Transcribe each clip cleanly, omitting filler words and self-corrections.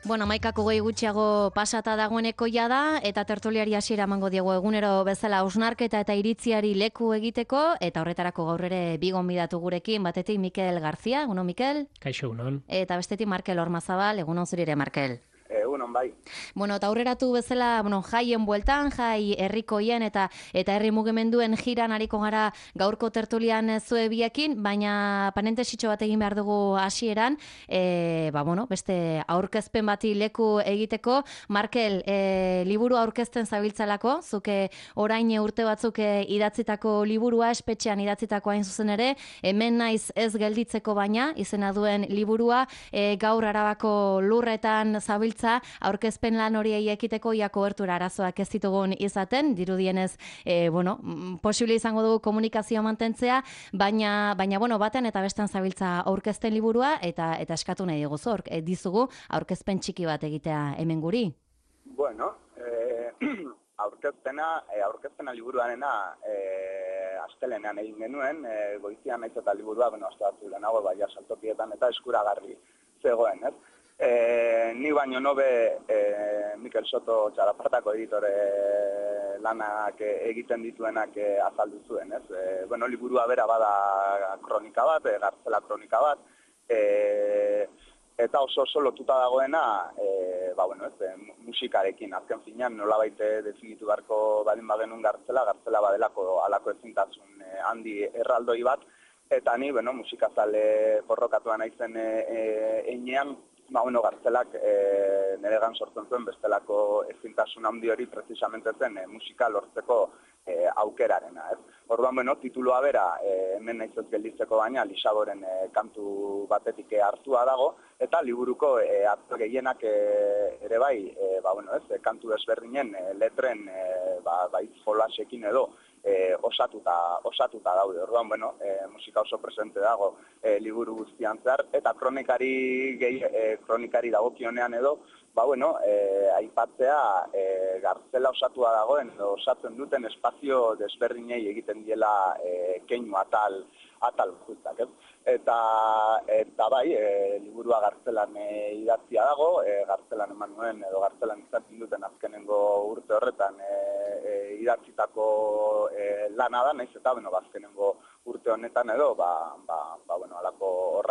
Bueno, 11:20 gutxiago pasata dagoeneko da eta tertuliari hasiera emango diegu egunero bezala hausnarketa eta iritziari leku egiteko eta horretarako gaur ere bi gonbidatu gurekin, batetik Mikel Garzia, egunon Mikel. Kaixo, egunon. Eta bestetik Markel Ormazabal, egunon zuri ere Markel. Egunon bai. Bueno, eta aurreratu bezala, jaien bueltan, jai herrikoien eta herri mugimenduen jiran ariko gara gaurko tertulian zue biekin, baina parentesitxo bat egin behar dugu hasieran, beste aurkezpen bati leku egiteko. Markel, liburu aurkezten zabiltzalako, zuke orain urte batzuk idatzitako liburua, espetxean idatzitako hain zuzen ere, hemen naiz ez gelditzeko baina, izena duen liburua, gaur Arabako lurretan zabiltza, aurkezpen lan horiei ekiteko ia kobertura arazoak ez ditugun izaten, dirudienez, posible izango dugu komunikazioa mantentzea, baina batean eta bestean zabiltza aurkezten liburua eta eskatu nahi dizugu aurkezpen txiki bat egitea hemen guri. Bueno, aurkezpena liburuarena astelenean egin genuen, goizian naiz eta liburua, aste batzu lehenago, baina saltokietan eta eskuragarri zegoen, ez? Ni baino nobe Mikel Soto Txalapartako editore lanak egiten dituenak azaldu zuen, ez? Liburua bera bada kronika bat, Gartzela kronika bat, eta oso lotuta dagoena, musikarekin, azken finean nolabait definitu beharko balin bagenun Gartzela badelako alako ezintasun handi erraldoi bat, eta ni, musikazale porrokatua naizen einean, Gartzelak niregan sortzen zuen bestelako ezintasun handi hori precisamente zen musika lortzeko aukerarena. Orduan, titulua bera, hemen naiz ez gelditzeko baina, Lisaboren kantu batetik hartua dago, eta liburuko hartu gehienak ere bai, kantu desberdinen letren hitz jolasekin edo osatuta daude. Orduan, musika oso presente dago liburu guztian zehar, eta kronikari dagokionean edo, aipatzea Gartzela osatua dagoen, osatzen duten espazio desberdinei egiten diela keinu atal bakoitzak, ez? Eta liburua Gartzelan idatzia dago, Gartzelan eman nuen edo Gartzelan izatzen duten azkenengo urte horretan idatzitako lana da, naiz eta azkenengo urte honetan edo, alako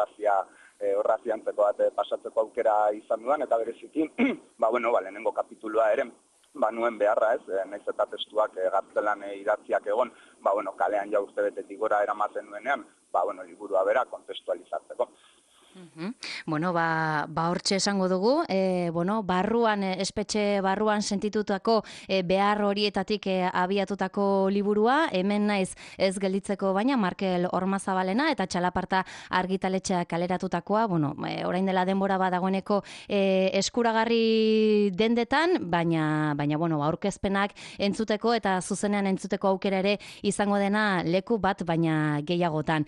horraziantzeko bat pasatzeko aukera izan duan, eta bereziki, lehenengo kapitulua ere, nuen beharra ez, naiz eta testuak Gartzelan idatziak egon, kalean ja urte betetik gora eramaten nuenean, liburua bera kontestualizatzeko. Hortxe esango dugu, barruan, espetxe barruan sentitutako behar horietatik abiatutako liburua, hemen naiz ez gelditzeko baina, Markel Ormazabalena eta Txalaparta argitaletxea kaleratutakoa, orain dela denbora badagoeneko eskuragarri dendetan, baina aurkezpenak entzuteko eta zuzenean entzuteko aukera ere izango dena leku bat, baina gehiagotan.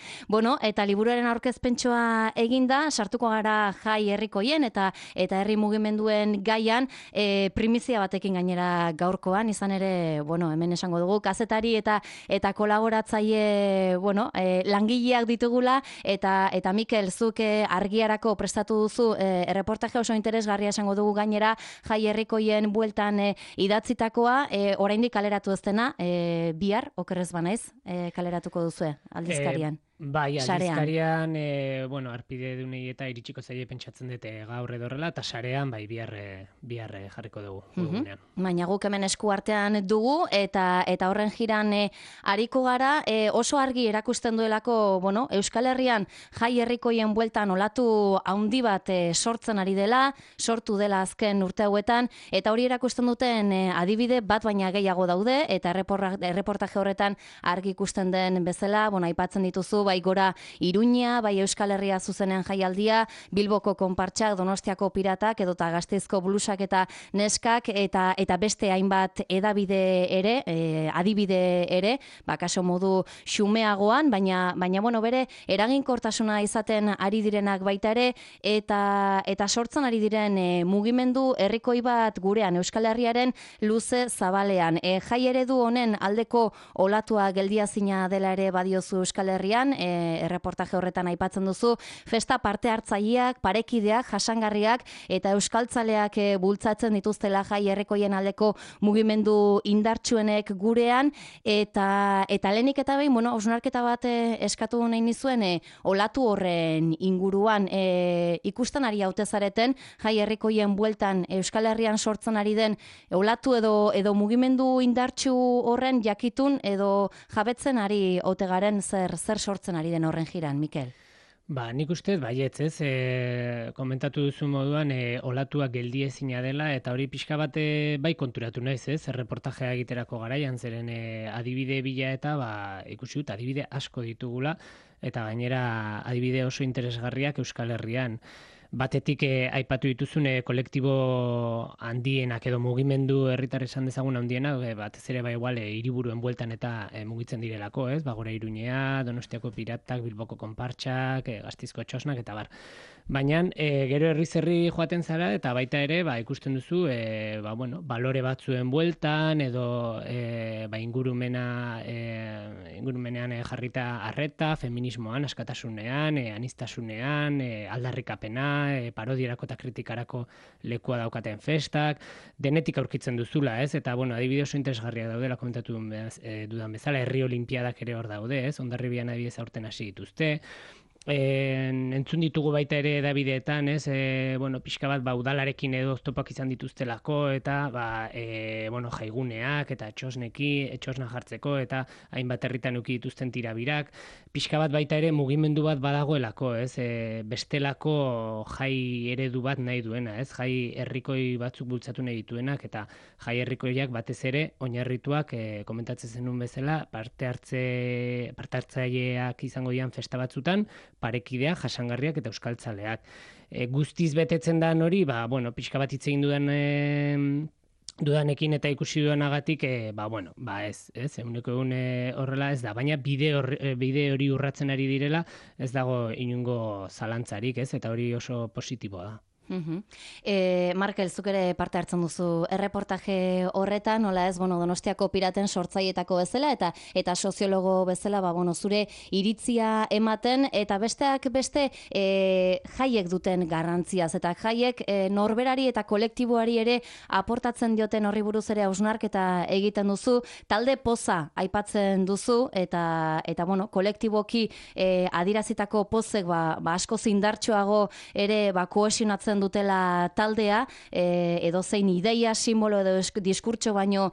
Eta liburuaren aurkezpentsoa eginda, sartuko gara jai herrikoien eta herri mugimenduen gaian, primizia batekin gainera gaurkoan, izan ere, hemen esango dugu, kazetari eta kolaboratzaile, langileak ditugula, eta Mikel, zuk argiarako prestatu duzu, erreportaje oso interesgarria esango dugu gainera, jai herrikoien bueltan idatzitakoa, oraindik kaleratu ez dena, bihar, okerrez banaiz, kaleratuko duzue, aldizkarian. Bai, aldizkarian, arpide dunei eta iritsiko zaile pentsatzen dute gaur edorrela, eta sarean, bihar jarriko dugu. Baina guk hemen esku artean dugu, eta horren jiran ariko gara, oso argi erakusten duelako, Euskal Herrian jai herrikoien bueltan olatu handi bat sortzen ari dela, sortu dela azken urte hauetan, eta hori erakusten duten adibide bat baina gehiago daude, eta erreportaje horretan argi ikusten den bezala, aipatzen dituzu, bai gora Iruña, bai Euskal Herria zuzenean jaialdia, Bilboko konpartsak, Donostiako piratak, edota Gasteizko blusak eta neskak, eta beste hainbat edabide ere, adibide ere, kaso modu xumeagoan, baina bere eraginkortasuna izaten ari direnak baita ere, eta sortzen ari diren mugimendu herrikoi bat gurean, Euskal Herriaren luze zabalean. Jai eredu honen aldeko olatua geldiazina dela ere badiozu Euskal Herrian, erreportaje horretan aipatzen duzu, festa parte hartzaileak, parekideak, jasangarriak eta euskaltzaleak bultzatzen dituztela jai herrikoien aldeko mugimendu indartsuenek gurean, eta lehenik eta behin, hausnarketa bat eskatu nahi nizuen olatu horren inguruan, ikusten ari haute zareten jai herrikoien bueltan Euskal Herrian sortzen ari den olatu edo mugimendu indartsu horren jakitun edo jabetzen ari ote garen zer sortzen ari den horren jiran, Mikel? Nik uste baietz, ez, komentatu duzu moduan, olatuak geldiezina dela, eta hori pixka bat bai konturatu naiz, ez, erreportajea egiterako garaian, zeren adibide bila eta ikusi dut, adibide asko ditugula, eta gainera adibide oso interesgarriak Euskal Herrian. Batetik aipatu dituzun kolektibo handienak edo mugimendu herritar esan dezagun handiena, batez ere igual hiriburuen bueltan eta mugitzen direlako, ez? Gora Iruñea, Donostiako Piratak, Bilboko Konpartsak, Gasteizko Txosnak eta bar. Baina gero herri joaten zara eta baita ere ikusten duzu balore batzuen bueltan edo ingurumenean jarrita arreta, feminismoan, askatasunean, aniztasunean, aldarrikapena, parodierako eta kritikarako lekua daukaten festak, denetik aurkitzen duzula, ez? Eta, adibide oso interesgarriak daudela komentatu dudan bezala, herri olimpiadak ere hor daude, ez? Hondarribian adibidez aurten hasi dituzte. Entzun ditugu baita ere edabideetan, ez? Pixka bat udalarekin edo oztopak izan dituztelako eta jaiguneak eta etxosna jartzeko eta hainbat herritan eduki dituzten tirabirak. Pixka bat baita ere mugimendu bat badagoelako, ez? Bestelako jai eredu bat nahi duena, ez? Jai herrikoi batzuk bultzatu nahi dituenak eta jai herrikoiak batez ere oinarrituak komentatzen zenun bezala parte hartzaileak izango dian festa batzutan, parekideak, jasangarriak eta euskaltzaleak. Guztiz betetzen da hori, pixka bat hitz egin dudanekin eta ikusi dudanagatik, ez, ehuneko ehun horrela ez da, baina bide hori urratzen ari direla, ez dago inongo zalantzarik, ez, eta hori oso positiboa da. Markel, zuk ere parte hartzen duzu erreportaje horretan, nola ez, Donostiako Piraten sortzailetako bezala eta soziologo bezala, zure iritzia ematen, eta besteak beste jaiek duten garrantziaz, eta jaiek norberari eta kolektiboari ere aportatzen dioten horri buruz ere hausnarketa egiten duzu, talde poza aipatzen duzu, eta kolektiboki adirazitako pozek asko zindartxoago ere kohesionatzen dutela taldea, edozein ideia, simbolo edo diskurtso baino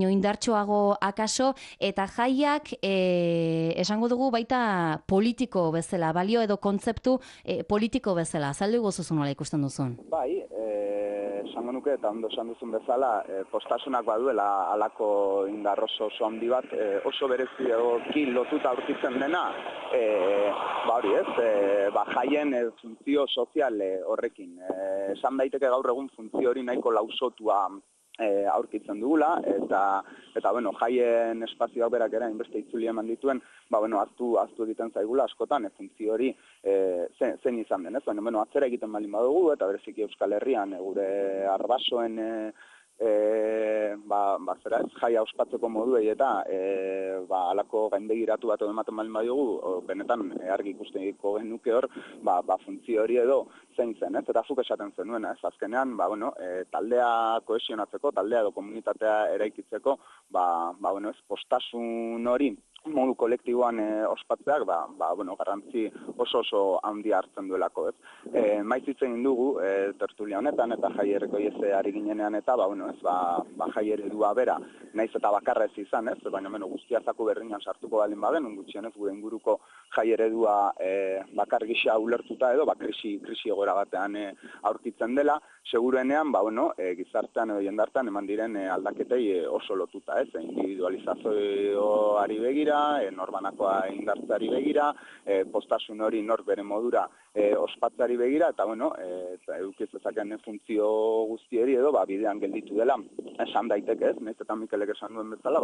indartsuago akaso, eta jaiak esango dugu baita politiko bezala, balio edo kontzeptu politiko bezala. Azaldu gozuzu nola ikusten duzun? Bai, esango nuke eta ondo esan duzun bezala, postasunak baduela alako indar oso handi bat, oso berezioki lotuta aurkitzen dena, jaien funtzio sozial horrekin. Esan daiteke gaur egun funtzio hori nahiko lausotua aurkitzen dugula, eta jaien espazioak berak ere inbeste itzuli eman dituen, aztu egiten zaigula askotan, funtzio hori zein izan den, ez? Atzera egiten balin badugu, eta bereziki Euskal Herrian, gure arbasoen jaia ospatzeko moduei eta alako gaindegiratu bat ematen balin badiogu, benetan argi ikusteko genuke hor, funtzio hori edo zein zen, ez? Eta zuk esaten zenuena, ez? Azkenean, taldea kohesionatzeko, taldea edo komunitatea eraikitzeko, postasun hori modu kolektiboan ospatzeak, garrantzi oso handia hartzen duelako, ez? Maiz hitz egin dugu, tertulia honetan, eta jai herrikoiez ari ginenean, eta, jai eredua bera, naiz eta bakarra ez izan, ez? Baina, guztiazako berriñan sartuko balin baden, gutxienez gure inguruko jai eredua bakar gisa ulertuta edo, krisi egoera batean aurkitzen dela, seguruenean, gizartean edo jendartean eman diren aldaketei oso lotuta, ez? Individualizazioari begira, norbanakoa indartzeari begira, postasun hori nor bere modura ospatzeari begira, eta edukiz ezakean funtzio guztieri edo bidean gelditu dela, esan daiteke ez, nahiz eta Mikelek esan duen bezala,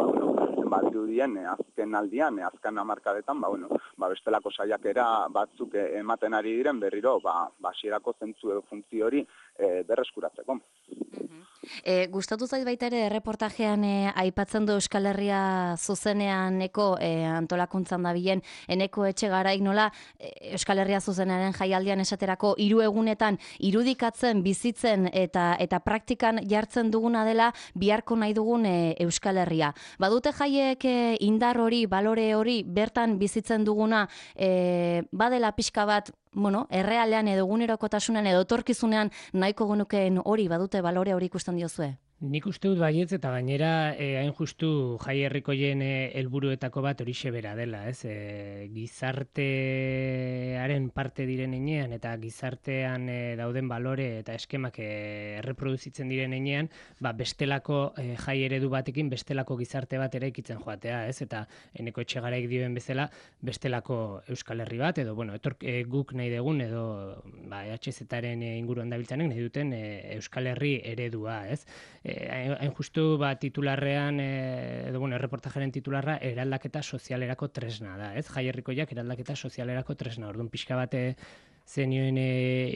badirudien azken aldian, azken hamarkadetan, bestelako saiakera batzuk ematen ari diren berriro, hasierako zentzu edo funtzio hori berreskuratzeko. Gustatu zait baita ere erreportajean aipatzen du Euskal Herria zuzeneaneko antolakuntzan dabilen eneko etxe garaik nola Euskal Herria zuzenaren jaialdian esaterako 3 egunetan irudikatzen, bizitzen eta praktikan jartzen duguna dela biharko nahi dugun Euskal Herria. Badute jaiek indar hori, balore hori bertan bizitzen duguna badela pixka bat errealean edo egunerokotasunean edo etorkizunean nahiko genukeen hori badute balore hori ikusten diozue? Nik uste dut baietz eta gainera hain justu jai herrikoien helburuetako bat horixe bera dela, ez? Gizartearen parte diren heinean eta gizartean dauden balore eta eskemak erreproduzitzen diren heinean, bestelako jai eredu batekin bestelako gizarte bat eraikitzen joatea, ez? Eta Eneko Etxegaraik dioen bezala bestelako Euskal Herri bat edo guk nahi dugun edo EHZ-aren inguruan dabiltzanek nahi duten Euskal Herri eredua, ez? Hain justu titularrean edo erreportajaren titularra eraldaketa sozialerako tresna da, ez? Jai herrikoiak eraldaketa sozialerako tresna. Orduan pixka bat zenioen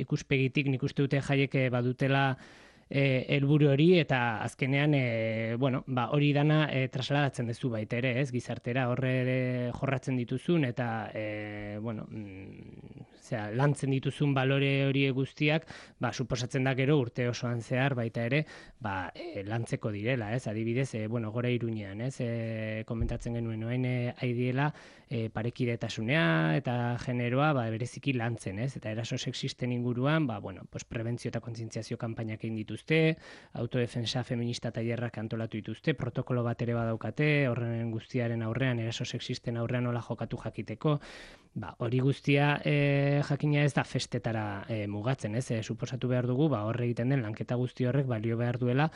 ikuspegitik nik uste dute jaiek badutela helburu hori eta azkenean hori dana trasladatzen duzu baita ere, ez? Gizartera horre jorratzen dituzun eta lantzen dituzun balore hori guztiak, suposatzen da gero urte osoan zehar baita ere, lantzeko direla, ez? Adibidez, gora Iruñean, ez? Komentatzen genuen orain aidiela parekidetasunea eta generoa bereziki lantzen, ez? Eta eraso sexisten inguruan, prebentzio eta kontzientziazio kanpainak egin dituzte, autodefensa feminista tailerrak antolatu dituzte, protokolo bat ere badaukate, horren guztiaren aurrean, eraso sexisten aurrean nola jokatu jakiteko, hori guztia jakina ez da festetara mugatzen, ez? Suposatu behar dugu, horre egiten den lanketa guzti horrek balio behar duela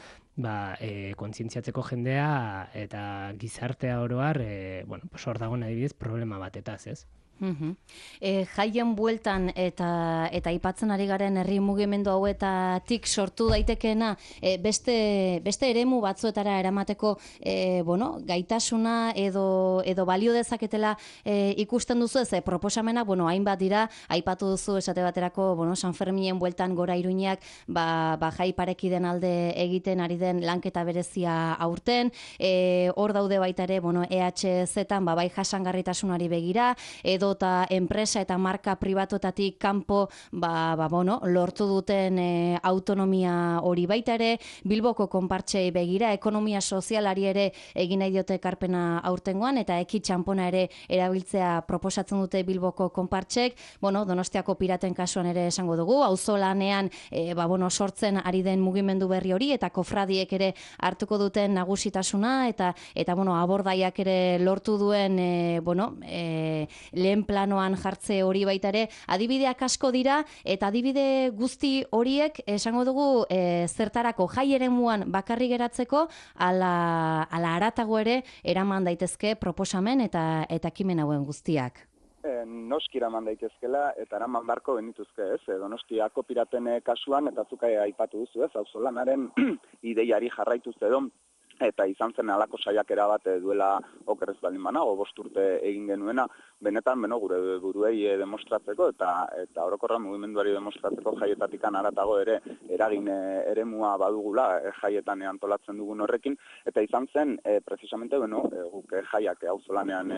kontzientziatzeko jendea eta gizartea oroar, hor dagoen adibidez problema batetaz, ez? Jaien bueltan eta aipatzen ari garen herri mugimendu hauetatik sortu daitekeena beste eremu batzuetara eramateko gaitasuna edo balio dezaketela ikusten duzu ez proposamena, hainbat dira, aipatu duzu esate baterako San Ferminen bueltan gora Iruñak jai parekiden alde egiten ari den lanketa berezia aurten, hor daude baita ere EHZ-an bai jasangarritasunari begira, edo eta enpresa eta marka pribatuetatik kanpo lortu duten autonomia hori baita ere, Bilboko konpartsei begira, ekonomia sozialari ere egin nahi diote ekarpena aurtengoan, eta eki txanpona ere erabiltzea proposatzen dute Bilboko konpartsek, Donostiako piraten kasuan ere esango dugu, auzolanean sortzen ari den mugimendu berri hori, eta kofradiek ere hartuko duten nagusitasuna, eta abordaiak ere lortu duen lehen planoan jartze hori baita ere, adibideak asko dira, eta adibide guzti horiek esango dugu zertarako jai eremuan bakarri geratzeko, ala haratago ere eraman daitezke proposamen eta ekimen hauen guztiak. Noski eraman daitezkela eta eraman barko benituzke, ez? Donostiako piraten kasuan, eta zuka aipatu duzu, ez? Auzolanaren ideiari jarraituz edo, eta izan zen alako saiakera bat duela okerrez baldin banago, 5 urte egin genuena, benetan gure buruei demostratzeko eta orokorra mugimenduari demostratzeko jaietatik haratago ere eragin eremua badugula jaietan antolatzen dugun horrekin, eta izan zen precisamente guk jaiak auzolanean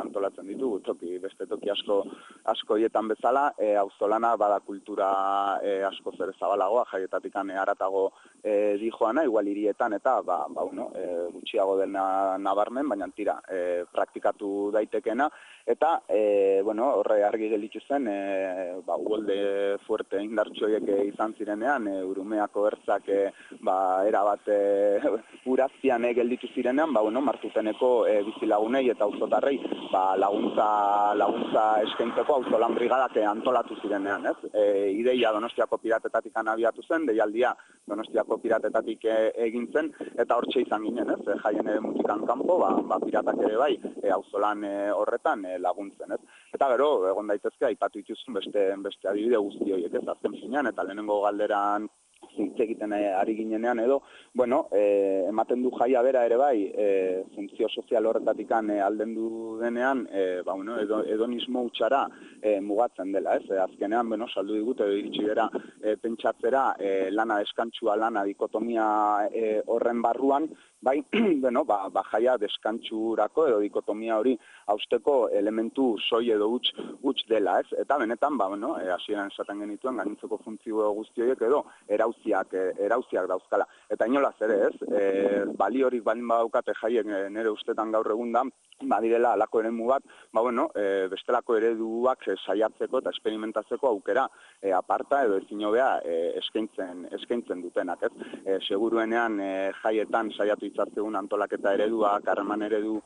antolatzen ditugu beste toki asko hietan bezala, auzolana bada kultura asko zer zabalagoa jaietatik haratago dijoana, igual hirietan eta gutxiago dena nabarmen, baina tira praktikatu daitekena, eta horre argi gelditu zen uholde fuerte indartsuiek izan zirenean, Urumeako ertzak erabat uraztian gelditu zirenean, Martuteneko bizilagunei eta auzotarrei laguntza eskaintzeko auzolan brigadak antolatu zirenean, ez? Ideia Donostiako piratetatik abiatu zen, deialdia Donostiako piratetatik egin zen, eta hortxe izan ginen, ez? Jaien mutikan kanpo, piratak ere bai, auzolan horretan laguntzen, ez? Eta gero, egon daitezke, aipatu dituzun beste adibide guzti horiek, ez? Azken finean, eta lehenengo galderan hitz egiten ari ginenean edo, bueno, ematen du jaia bera ere bai, funtzio sozial horretatik aldendu denean, bueno, hedonismo hutsara mugatzen dela, ez? Azkenean, bueno, saldu digute edo iritsi gara pentsatzera lana deskantsua, lana dikotomia horren barruan, bai, bueno, jaia deskantsurako edo dikotomia hori hausteko elementu soi edo huts dela, ez? Eta benetan, bueno, hasieran esaten genituen gainontzeko funtzio guzti horiek edo erauziak dauzkala. Eta inolaz ere, ez? Baliorik baldin badaukate jaiek nire ustetan gaur egun da, badirela alako eremu bat, bueno, bestelako ereduak saiatzeko eta esperimentatzeko aukera aparta edo ezin hobea eskaintzen dutenak, ez? Seguruenean jaietan saiatu itzazegun antolaketa ereduak, harreman eredu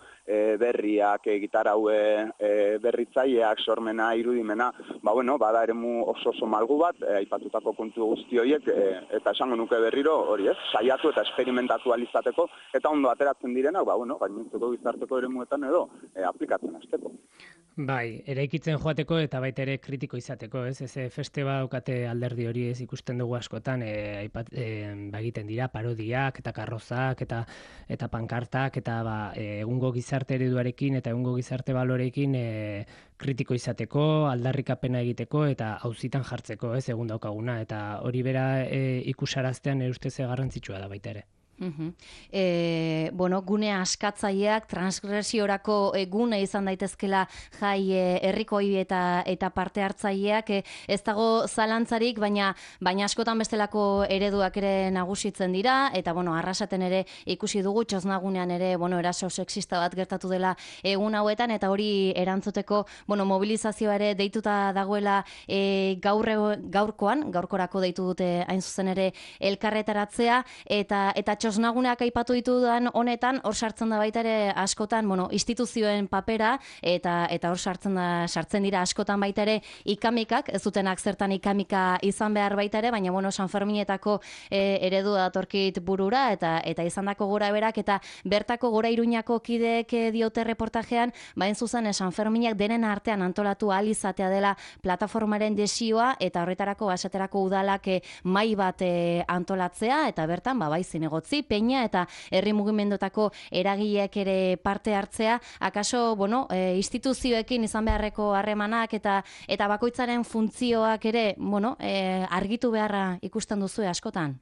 berriak, gitarau berritzaileak, sormena, irudimena, bueno, bada eremu oso malgu bat, aipatutako kontu guzti horiek, eta esango nuke berriro hori, ez? Saiatu eta esperimentatu alizateko, eta ondo ateratzen direnak, bueno, gainontzeko gizarteko eremuetan edo aplikatzen hasteko. Bai, eraikitzen joateko eta baita ere kritiko izateko, ez? Feste daukate alderdi hori ez ikusten dugu askotan, egiten dira parodiak eta karrozak eta pankartak eta egungo gizarte ereduarekin eta egungo gizarte baloreekin kritiko izateko, aldarrikapena egiteko eta auzitan jartzeko, ez? Egun daukaguna eta hori bera ikusaraztean ere ustez garrantzitsua da baita ere. Bueno, gune askatzaileak transgresiorako gune izan daitezkela jai herrikoi eta parte hartzaileak ez dago zalantzarik, baina askotan bestelako ereduak ere nagusitzen dira eta bueno, Arrasaten ere ikusi dugu txosnagunean ere, bueno, eraso sexista bat gertatu dela egun hauetan eta hori erantzuteko, bueno, mobilizazioa ere deituta dagoela gaurkorako deitu dute hain zuzen ere elkarretaratzea eta txosnaguneak aipatu ditudan honetan, hor sartzen da baita ere askotan, bueno, instituzioen papera eta hor sartzen dira askotan baita ere ikamikak, ez dutenak zertan ikamika izan behar baita ere, baina bueno, San Ferminetako eredu datorkit burura eta izandako gora berak eta bertako Gora Iruñako kideek diote reportajean, bain zuzen San Ferminak denen artean antolatu ahal izatea dela plataformaren desioa eta horretarako basaterako udalak mai bat antolatzea eta bertan bai zinegotzi, peña eta herri mugimendutako eragileek ere parte hartzea, akaso, bueno, instituzioekin izan beharreko harremanak eta bakoitzaren funtzioak ere, bueno, argitu beharra ikusten duzu askotan?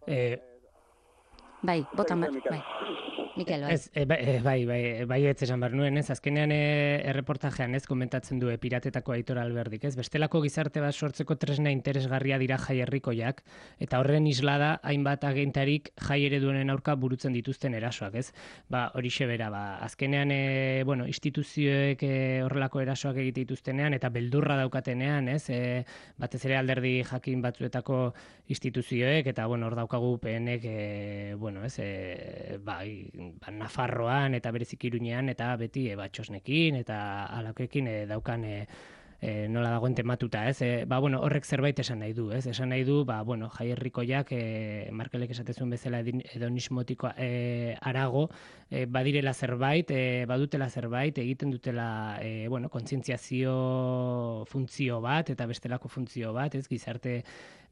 Bai, botan bai. Mikel, bai, ez esan behar nuen, ez? Azkenean erreportajean ez komentatzen du piratetako Aitor Alberdik, ez? Bestelako gizarte bat sortzeko tresna interesgarria dira jai herrikoiak, eta horren islada hainbat agentarik jai ereduenen aurka burutzen dituzten erasoak, ez? Horixe bera, azkenean, bueno, instituzioek horrelako erasoak egite dituztenean, eta beldurra daukatenean, ez? Batez ere alderdi jakin batzuetako instituzioek, eta, bueno, hor daukagu PNek, bueno, ez? Nafarroan eta bereziki Iruñean eta beti txosnekin eta alakoekin daukan nola dagoen tematuta, ez? Bueno, horrek zerbait esan nahi du, ez? Esan nahi du, bueno, jai herrikoiak Markelek esatezun bezala hedonismotiko arago badirela zerbait, badutela zerbait, egiten dutela, bueno, kontzientziazio funtzio bat eta bestelako funtzio bat, ez? Gizarte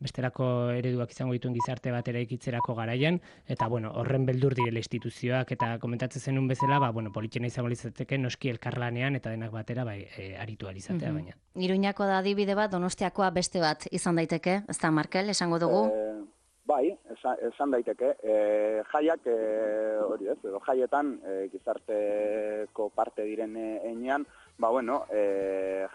bestelako ereduak izango dituen gizarte bat eraikitzerako garaian, eta bueno, horren beldur direla instituzioak eta komentatzen zenun bezala, bueno, politxena izango litzateke noski elkarlanean eta denak batera aritu alizatea baina. Iruñako da adibide bat, Donostiakoa beste bat izan daiteke, ez da, Markel, esango dugu? Bai, esan daiteke. Jaiak, hori ez, edo jaietan gizarteko parte diren enean, bueno,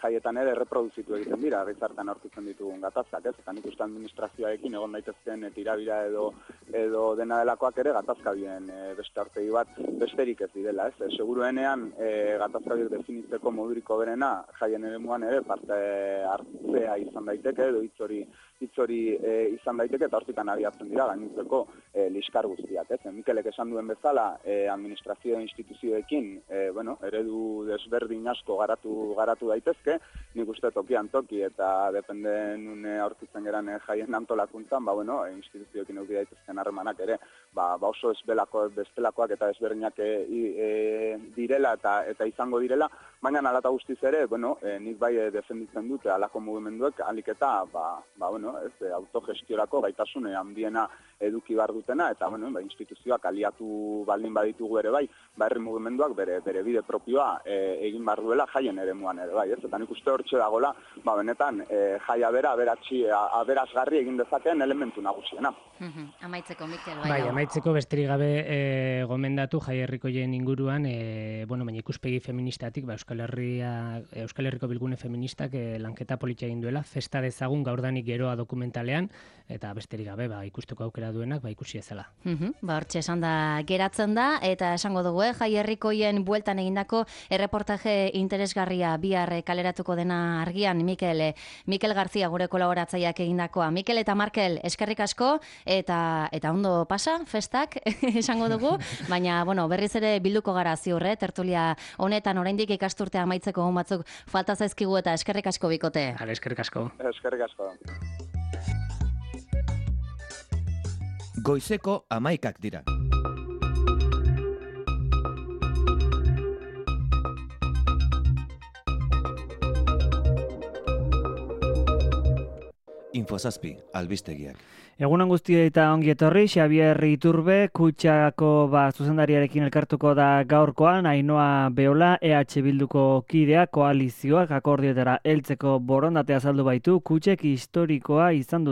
jaietan ere reproduzitu egiten dira, gizartean aurkitzen ditugun gatazkak, ez? Eta nik uste administrazioarekin egon daitezken tirabira edo dena delakoak ere gatazka bien beste aurpegi bat besterik ez direla, ez? Seguruenean gatazka biek definitzeko moduriko berena jaien eremuan ere parte hartzea izan daiteke, edo hitz hori izan daiteke eta hortikan abiatzen dira gainontzeko liskar guztiak, ez? Mikelek esan duen bezala administrazio instituzioekin, bueno, eredu desberdin asko asko garatu daitezke, nik uste tokian toki eta depende nun aurkitzen geran jaien antolakuntzan, instituzioekin eduki daitezken harremanak ere, oso bestelakoak eta ezberdinak direla eta izango direla, baina alata guztiz ere, nik bai defenditzen dute alako mugimenduek, alik eta, autogestiorako gaitasun handiena eduki behar dutena, eta instituzioak aliatu baldin baditugu ere bai, herri mugimenduak bere bide propioa egin behar duela jaien ere muan ere bai, ez? Eta nik uste hortxe dagoela, benetan, jaia bera aberasgarri egin dezakeen elementu nagusiena. Amaitzeko, Mikel, bai. Amaitzeko besterik gabe gomendatu jai herrikoien inguruan, baina ikuspegi feministatik, Euskal Herriko Bilgune Feministak lanketa politia egin duela, festa dezagun gaurdanik geroa dokumentalean, eta besterik gabe ikusteko aukera duenak ikusi ezala. Hortxe esan da geratzen da, eta esango dugu, jai herrikoien bueltan egindako erreportaje interesgarria bihar kaleratuko dena argian, Mikel Garzia gure kolaboratzaileak egindakoa. Mikel eta Markel, eskerrik asko, eta ondo pasa, festak, esango dugu, baina, berriz ere bilduko gara ziur, tertulia honetan oraindik ikasturtea amaitzeko hon batzuk falta zaizkigu eta eskerrik asko bikote. Eskerrik asko. Eskerrik asko. Goizeko 11 dira. Infozazpi, albistegiak. Egunon guztioi eta ongi etorri, Xabier Iturbe, Kutxako zuzendariarekin elkartuko da gaurkoan, Ainhoa Beola, EH Bilduko kidea, koalizioak akordioetara heltzeko borondatea azaldu baitu, Kutxek historikoa izan dut